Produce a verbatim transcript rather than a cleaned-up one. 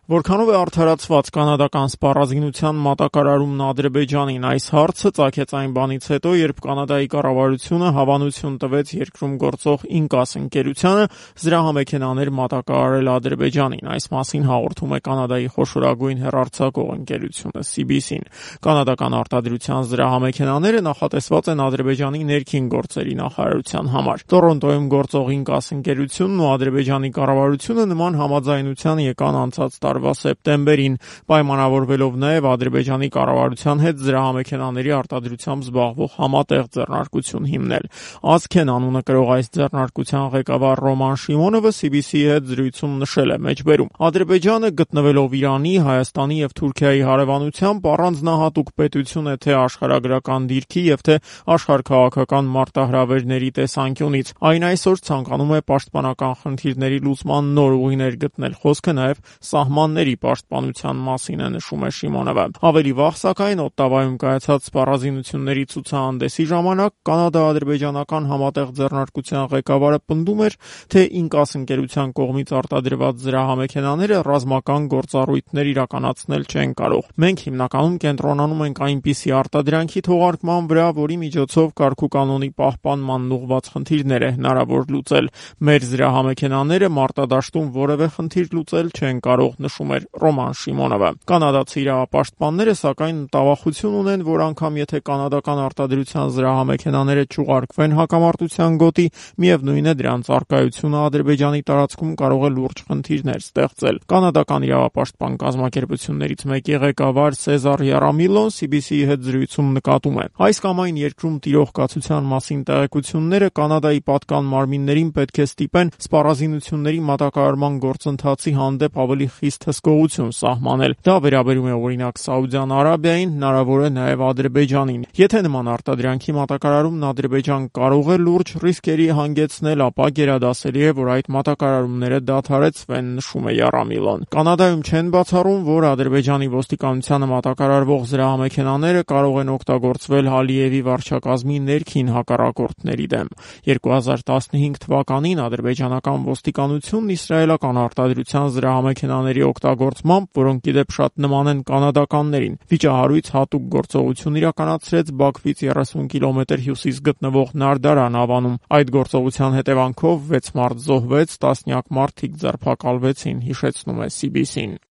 Որքանով է արդարացված կանադական սպառազինության մատակարարումն Ադրբեջանին, այս հարցը ծագեց այն բանից հետո, երբ Կանադայի կառավարությունը հավանություն տվեց երկրում գործող Ինկաս ընկերությանը զրահամեքենաներ մատակարարել Ադրբեջանին։ Այս մասին հաղորդում է Կանադայի խոշորագույն հեռարձակող ընկերությունը սի բի սին։ Կանադական արտադրության զրահամեքենաները նախատեսված են Ադրբեջանի ներքին գործերի նախարարության համար։ Տորոնտոյում գործող Ինկաս ընկերությունն ու Ադրբեջանի կառավարությունը նման համաձայնության եկան անցած տարվա սեպտեմբերին, պայմանավորվելով նաև Ադրբեջանի կառավարության հետ զրահամեքենաների արտադրությամբ զբաղվող համատեղ ձեռնարկություն հիմնել։ «Ազգեն» անունը կրող այս ձեռնարկության ղեկավար Ռոման Շիմոնովը սի բի սի-ի հետ զրույցում նշել է մեջբերում. «Ադրբեջանը գտնվելով Իրանի, Հայաստանի եւ Թուրքիայի հարևանությամբ առանձնահատուկ պետություն է թե աշխարհագրական դիրքի եւ թե աշխարհաքաղաքական մարտահրավերների տեսանկյունից։ Այն այսօր ցանկանում է պաշտպանական խնդիրների լուծման նոր ուղիներ գտնել»։ Խոսքը նաև սահմանների պաշտպանության մասին է, նշում է Շիմոնովը։ Ավելի վաղ, սակայն, Օտտավայում կայացած սպառազինությունների ցուցահանդեսի ժամանակ կանադա-ադրբեջանական համատեղ ձեռնարկության ղեկավարը պնդում էր, թե Ինկաս ընկերության կողմից արտադրված զրահամեքենաները ռազմական գործառույթներ իրականացնել չեն կարող։ «Մենք հիմնականում կենտրոնանում ենք այնպիսի արտադրանքի թողարկման վրա, որի միջոցով կարգուկանոնի պահպանմանն ուղղված խնդիրներ է հնարավոր լուծել։ Մեր զրահամեքենաները մարտադաշտում որևէ խնդիր լուծել չեն կարող», նշում էր Ռոման Շիմոնովը։ Կանադացի իրավապաշտպանները, սակայն, մտավախություն ունեն, որ անգամ եթե կանադական արտադրության զրահամեքենաները չուղարկվեն հակամարտության գոտի, միևնույն է դրանց առկայությունը Ադրբեջանի տարածքում կարող է լուրջ խնդիրներ ստեղծել։ Կանադական իրավապաշտպան կազմակերպություններից մեկի ղեկավար Սեզար Յարամիլոն սի բի սի-ի հետ զրույցում նկատում է. «Այս կամ այն երկրում տիրող կացության մասին տեղեկությունները Կանադայի պատկան մարմիններին պետք է ստիպեն սպառազինությունների մատակարարման գործընթացի հանդեպ ավելի խիստ հսկողություն սահմանել։ Դա վերաբերում է օրինակ Սաուդյան Արաբիային, հնարավոր է նաև Ադրբեջանին։ Եթե նման արտադրանքի մատակարարումն Ադրբեջան կարող է լուրջ ռիսկերի հանգեցնել, ապա գերադասելի է, որ այդ մատակարարումները դադարեցվեն», նշում է Յարամիլոն։ Կանադայում չեն բացառում, որ Ադրբեջանի ոստիկանությանը մատակարարվող զրահամեքենաները կարող են օգտագործվել Ալիևի վարչակազմի ներքին հակառակորդների դեմ։ երկու հազար տասնհինգ թվականին ադրբեջանական ոստիկանությունն իսրայելական արտադրության զրահամեքենաների օգտագործմամբ, որոնք ի դեպ շատ նման են կանադականներին, վիճահարույց հատուկ գործողություն իրականացրեց Բաքվից երեսուն կիլոմետր հյուսիս գտնվող Նարդարան ավանում։ Այդ գործողության հետևանքով վեց մարդ զոհվեց, տասնյակ մարդիկ ձերբակալվեցին, հիշեցնում է սի բի սին։